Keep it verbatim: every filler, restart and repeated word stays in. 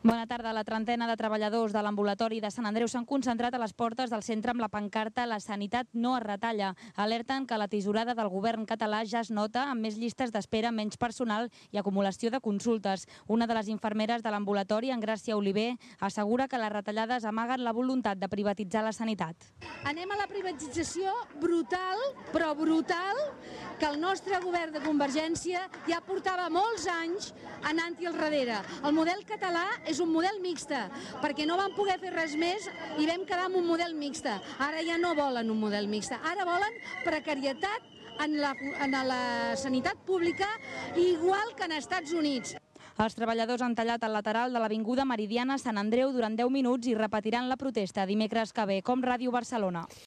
Bona tarda. La trentena de treballadors de l'ambulatori de Sant Andreu s'han concentrat a les portes del centre amb la pancarta «La sanitat no es retalla». Alerten que la tisorada del govern català ja es nota amb més llistes d'espera, menys personal i acumulació de consultes. Una de les infermeres de l'ambulatori, Engràcia Oliver, assegura que les retallades amaguen la voluntat de privatitzar la sanitat. Anem a la privatització brutal, però brutal, que el nostre govern de Convergència ja portava molts anys anant-hi al darrere. El model català és un model mixta, perquè no van poder fer res més i vam quedar amb un model mixta. Ara ja no volen un model mixta, ara volen precarietat en la, en la sanitat pública, igual que en Estats Units. Els treballadors han tallat el lateral de l'avinguda Meridiana Sant Andreu durant deu minuts i repetiran la protesta dimecres que ve, com Ràdio Barcelona.